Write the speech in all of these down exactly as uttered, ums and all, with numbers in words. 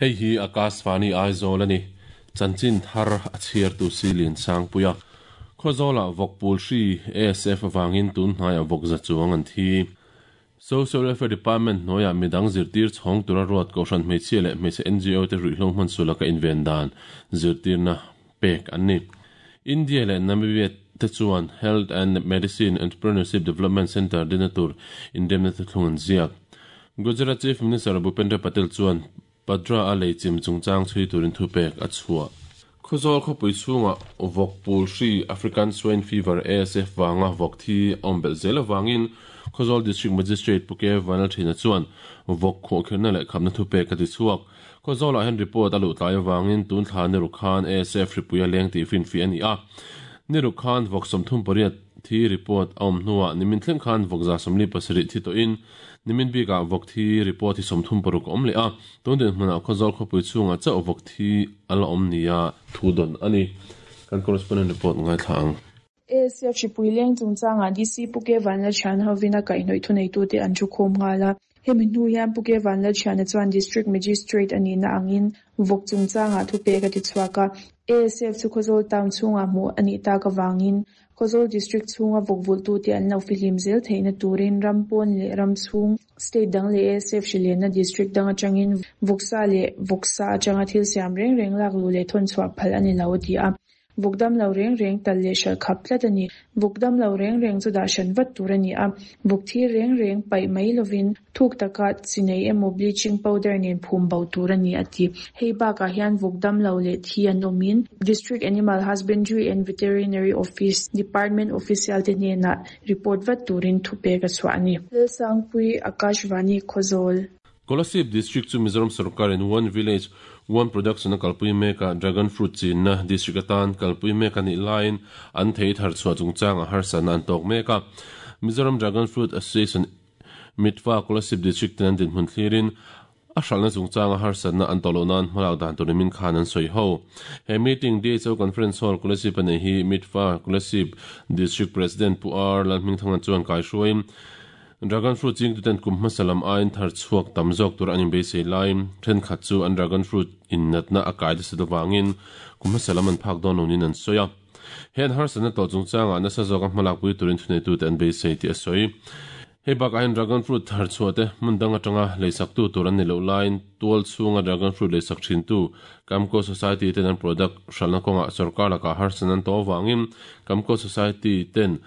Hei hi Akashvani Aizawl ani. Chanchin thar a chhiar tu silin sangpuia. Khawzawla vawk pul hri A S F awangin tun hnaiah vawk za chuang an thi. Social Welfare Department hnuaiah midang zirtir chhawng tura ruat kohhran hmeichhia leh hmeichhe N G O te ruihhlo hman sulaka inven dan zirtirna pek an ni. India leh Namibia te chuan Health and Medicine Entrepreneurship Development Center dina tur indemna te thlung an ziak. Gujarat Chief Minister Bhupendra Patel chuan Padra a leichim chungchang chhui turin thu pek a chhuah. Khawzawl khawpui chhunga vawk pul hri African Swine Fever A S F wanga vawk thi awm belh zel awangin Khawzawl District Magistrate Puke Vanal Thina chuan vawk khawhkhirna leh khamna thu pek a ti chhuak. Khawzawlah hian report a luh tlai awangin tun thla ni ruk khan A S F hripuia leng tih finfi a ni a. Ni ruk khan vawk sawmthum pariat thi report a awm hnuah nimin thleng khan vawk za sawmli pasarih thi tawhin nimin bikah vawk thi report hi sawmthum paruk a awm leh a. Tun din hmunah Khawzawl khawpui chhungah chauh vawk thi a la awm nia thu dawn a ni. Kan correspondent report ngai thla ang. A S F hripui leng chungchangah D C Puke Vanlal Thian hovin a kaihhnawih thu neitute an thu khawm nghal a. Hemi hnu hian Puke Vanlal Thiana chuan District Magistrate ani na angin vawk chungchangah thu pek a ti chhuak a. A S F chu Khawzawl town chhungah hmuh ani tak awangin Khawzawl District chhunga vawk vulhtute an lo fihlim zel theihna turin Rampawn leh Ramchhung State dang leh A S F hrilenna District dang atangin vawksa leh vawksa atanga thil siam reng reng lak lu leh thawn chhuah phal ani lo a ti a. Vawkdam lo reng reng tal leh hral khap tlat ani. Vawkdam lo reng reng chu dah hran vat tur ani a. Vawk thi reng reng paih mai lovin thuk taka chinei emaw bleaching powder nen phum bo tur ani a ti. Hei bakah hian vawkdam lo leh thi an awmin District Animal Husbandry and Veterinary Office Department official te hnenah report vat turin thu pek a chhuah ani. Lalsangpui Akashvani Khawzawl. Kolasib District chu Mizoram Sarkar in One Village One Production a kalpui meka Dragon Fruit chinna district atan kalpui meka ni line an thei thar chhuah chungchang a harsana an tawk meka. Mizoram Dragon Fruit Association mitfa Kolasib District ten an dinhmun thlirin a hralhna chungchang a harsana an tawh loh nan hmalak dan tur nimin khan an sawi ho. He meeting D H O Conference Hall Kolasib a nei hi mitfa Kolasib District President Pu R Lalhmingthanga chuan kai hruain Dragon Fruit ching tu ten kum hmasalam ain thar chhuak tam zawk tur an inbeisei lai thenkhat chu an Dragon Fruit in natna a kai te se wangin kum hmasalam an phak dawn lonin an sawi a. Hen harsana tawh chungchangah nasa zawk a hmalak pui turin thunei tu te an beisei tih a sawi. Hei bakah hian Dragon Fruit thar chhuah te hmun dang atanga leisak tu tur an ni loh laiin tual chhunga Dragon Fruit leisak thin tu Kamco Society ten an product hralhna kawngah sarkar lakah harsana an tawh awangin Kamco Society ten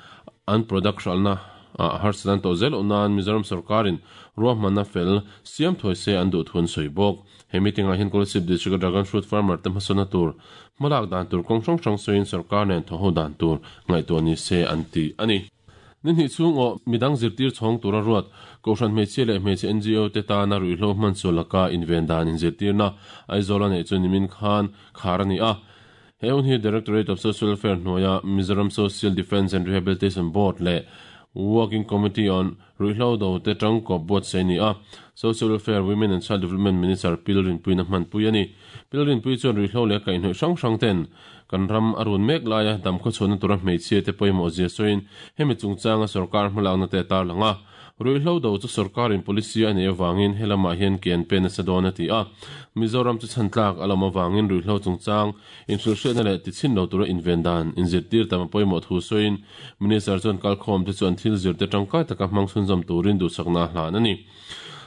an product hralhna a harsanan to zel unan Mizoram Sarkarin ruahmanna fel siam thawi se an duh thun sawi bawk. He meeting ah hian Kolasib District Dragon Fruit Farmer te hmasawna tur hmalak dan tur kawng hrang hrang sawiin sarkar nen thaw ho dan tur ngaihtuah ni se an ti ani. Ni hnih chhung aw midang zirtir chhawng tura ruat kohhran hmeichhia leh hmeichhe N G O te tana ruihhlo hman sulaka inven dan inzirtirna Aizawl a neih chu nimin khan khar ani a. He hun hi Directorate of Social Welfare hnuaia Mizoram Social Defence and Rehabilitation Board leh Working Committee on Ruihhlo Do te tangkawp buat sei ni a. Social Welfare Women and Child Development Minister Pilrin Pui na hman pui ani. Pilrin Pui chuan ruihhlo leh kaihhnawih hrang hrang ten kan ram a run mek laia dam khaw chhuahna tura hmeichhia te pawimawh zia sawiin hemi chungchanga sarkar hmalakna te tar langa. Ruihhlo do chu sarkarin policy a nei awangin helamah hian ke an pen nasa dawn a ti a. Mizoram chu chhantlak a lam awangin ruihhlo chungchang inhrilhhriatna leh tichin lo tura inven dan inzirtir tam a pawimawh thu sawiin Minister chuan kalkhawm te chu an thil zir te tangkai taka hmang chhunzawm turin duhsakna hlan ani.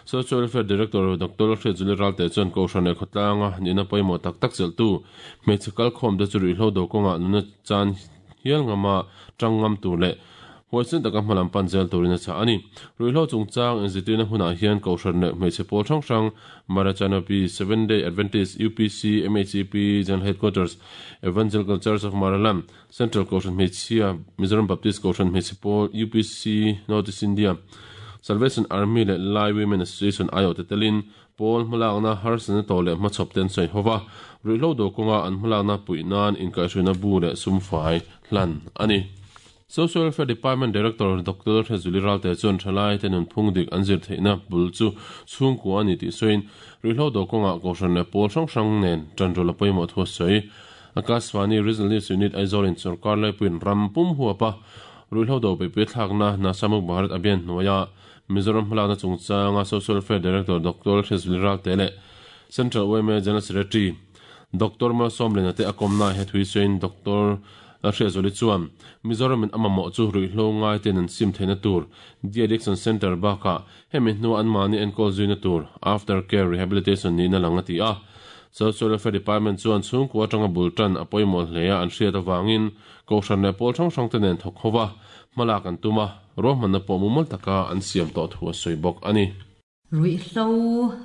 Social Welfare Director Doctor Hriatzuali Ralte chuan kohhran leh khawtlanga nihna pawimawh tak tak chelhtu hmeichhe kalkhawm te chu ruihhlo do kawngah nuna chan hial ngama tang ngam tur leh huaisen taka hmalam pan zel turin a chah ani. Ruihhlo chungchang inzirtirna hunah hian kohhran leh hmeichhe pawl hrang hrang Marachanapi, Seven Day Adventist, U P C, M H E P, General Headquarters, Evangelical Church of Maralam, Central Kohhran Hmeichhia, Mizoram Baptist Kohhran Hmeichhe Pawl, U P C, North East India, Salvation Army leh Lai Women Association aio te telin pawl hmalakna harsana tawh leh hmachhawp ten sawi hova ruihhlo do kawnga an hmalakna puih nan inkaihhruina bu leh sumfai hlan ani. Social Welfare Department Director Doctor Hriatzuali Ralte chuan thalai te nun phung dik an zir theihna bul chu chhungkua ani tih sawiin ruihhlo do kawngah kohhran leh pawl hrang hrang nen tanrul a pawimawh thu a sawi. Akashvani Regional News Unit Aizawl in sarkar laipuiin ram pum huapa ruihhlo do peipui thlakna Nasamuk Bharat Abhiyan hnuaia Mizoram hmalakna chungchanga Social Welfare Director Doctor Hriatzuali Ralte leh Central Y M A General Secretary Doctor Malsawmliana te a kawmna he thui sawiin Doctor Hriatzuali chuan Mizoram in a mamawh chu ruihhlo ngai ten an sim theihna tur De-addiction Center bakah hemi hnu an mahni enkawl zuina tur After Care Rehabilitation nihna lang a ti a. Social Welfare Department chuan chhungkua atanga bul tan a pawimawh hle a an hriat awangin kohhran leh pawl hrang hrang te nen thawk ho va hmalak an tum a ruahmanna pawh mumal taka an siam tawh thu a sawi bawk a ni. Ruihhlo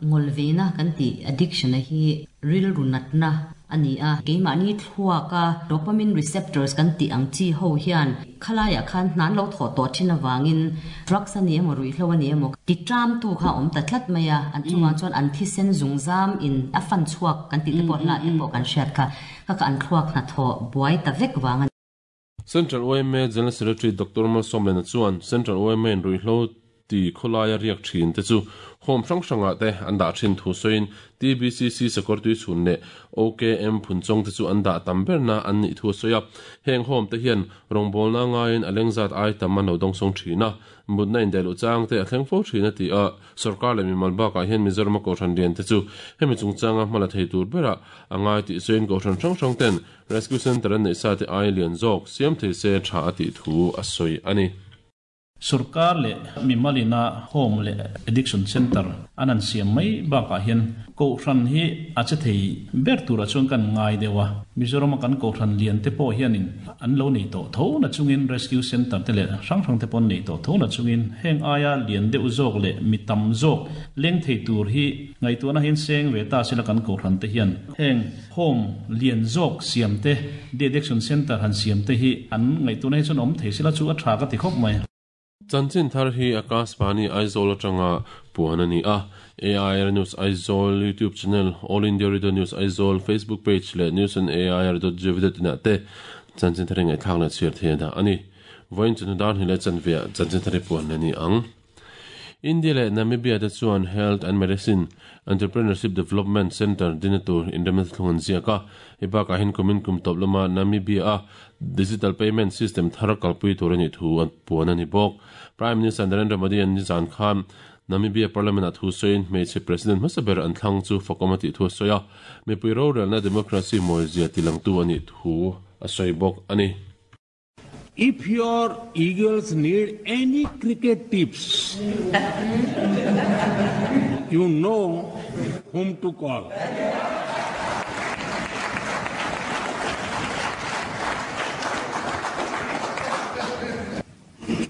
ngawlveina kan ti addiction a hi rilru natna ani a keimahni thluaka dopamine receptors kan ti ang chi ho hian khalaiah khan hnan lo thaw tawh thin awangin drugs ani emaw ruihhlo ani emaw ti tram tu kha awm ta tlat mai a an chungah chuan an thisen zungzam in a fan chhuak kan ti te pawh hla te pawh kan hriat kha kha ka an thluak hna thaw buai ta vek wang. Central Y M A General Secretary Doctor Malsawmliana chuan Central Y M A in ruihhlo ti khawlaia riak thin te chu home hrang hranga te an dah thin thu sawiin T B C C sakawr tui chhun leh O K M phunchawng te chu an dah tam berna an nih thu a sawi a. Heng home te hian rawngbawlna ngaiin a lengzat ai tam an lo dawngsawng thin a mutna indaihloh chang te a thleng fo thin a ti a. Sarkar leh mimal bakah hian Mizoram a kohhran lian te chu hemi chungchanga hmala thei tur berah a ngai tih sawiin kohhran hrang hrang ten Rescue Center an neih sa te ai lian zawk siam thei se tha a tih thu a sawi a ni. Sarkar le mimalina home le addiction center anan siam mai bakah hian kohhran hi a che thei ber tura chuan kan ngai dewa Mizoram kan kohhran lian te pawh hianin an lo nei tawh tho na chungin rescue center te le hrang hrang te pawn nei tawh tho na chungin heng aia lian deuh zawk le mi tam zawk leng thei tur hi ngaihtuahna hian seng ve ta sila kan kohhran te hian heng home lian zawk siam te de-addiction center han siam te hi an ngaihtuahna hi chuan awm thei sila chu a tha ka ti khawp mai. Chanchin thar hi Akashvani Aizawl atanga puan ani a. A I R News Aizawl YouTube channel, All India Radio News Aizawl Facebook page leh news on A I R dot gov dot in ah te chanchin thar ngai thlak na chhiar thei da ani. Voin chunu dar hi le chanvia chanchin thar puan ani ang. India leh Namibia te chuan Health and Medicine Entrepreneurship Development Center dinatur indemna thlung an ziaka. Hei bakah hian kumin kum tawp lama Namibia a digital payment system thar kalpui tur ani thu an puan ani bawk. Prime Minister Narendra Modi an nizan khan Namibia Parliament a thu sawiin hmeichhe President hmasaber an thlang chu fakawm a tih thu a sawi a. Mipui rorelna democracy mawizia tilangtu ani thu a sawi bawk ani. If your eagles need any cricket tips, you know whom to call.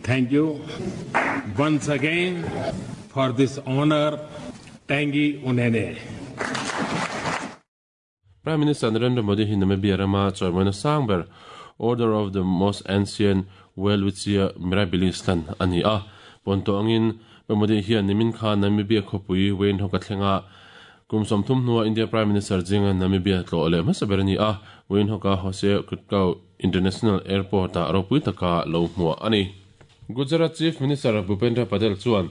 Thank you once again for this honor, Tangi Unene. Prime Minister Narendra Modi hi Namibia rama chawimawina sangber Order of the Most Ancient Welwitschia Mirabilis hlan ani a. Ponto angin Modi hian nimin kha Namibia khawpui Windhoek a thlenga kum sawmthum hnuah India Prime Minister zinga Namibia tlawh leh hmasaber ani a. Windhoek a Hosea Kutko International Airport ah ropui taka lo hmuah ani. Gujarat Chief Minister Bhupendra Patel chuan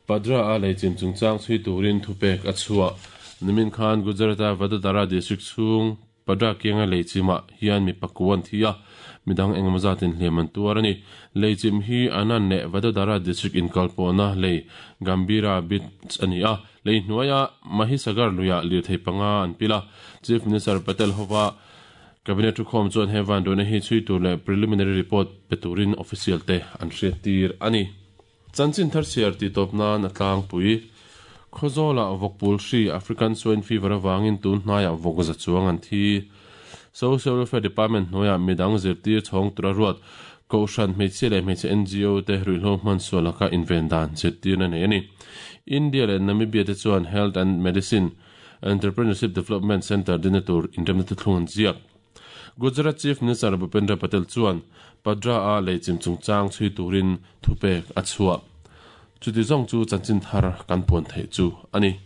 Padra a leichim chungchang chhui turin thupek a chhuah. Nimin khan Gujarat a Vadodara district chhung Padra kianga leichima hian mi pakuan thia midang engemaw zatin hliam an tuar ani. Leichim hi Anan leh Vadodara district inkalpawhna lei Gambira Beach ani a. Lei hnuaia Mahisagar luia lirthei panga an pila. Chief Minister Patel hova Cabinet thukhawm chuan he van dawna hi chhui tur leh preliminary report pe turin official te an hriat tir ani. Chanchin thar chhiar ti tawp nan a tlangpui. Khawzawla vawkpul hri African Swine Fever awangin tun hnaiah vawk za chuang an thi. Social Welfare Department hnuaiah midang zirtir chhawng tura ruat kohhran hmeichhia leh hmeichhe N G O te ruihhlo hman sualaka inven dan zirtirna nei ani. India leh Namibia te chuan Health and Medicine Entrepreneurship Development Center dinatur indemna thlung an ziak. Gujarat Chief Minister Bhupendra Patel chuan Padra a leichim chungchang chhui turin thupek a chhuah. Chuti zawng chu chanchin thar kan puan thei chu ani.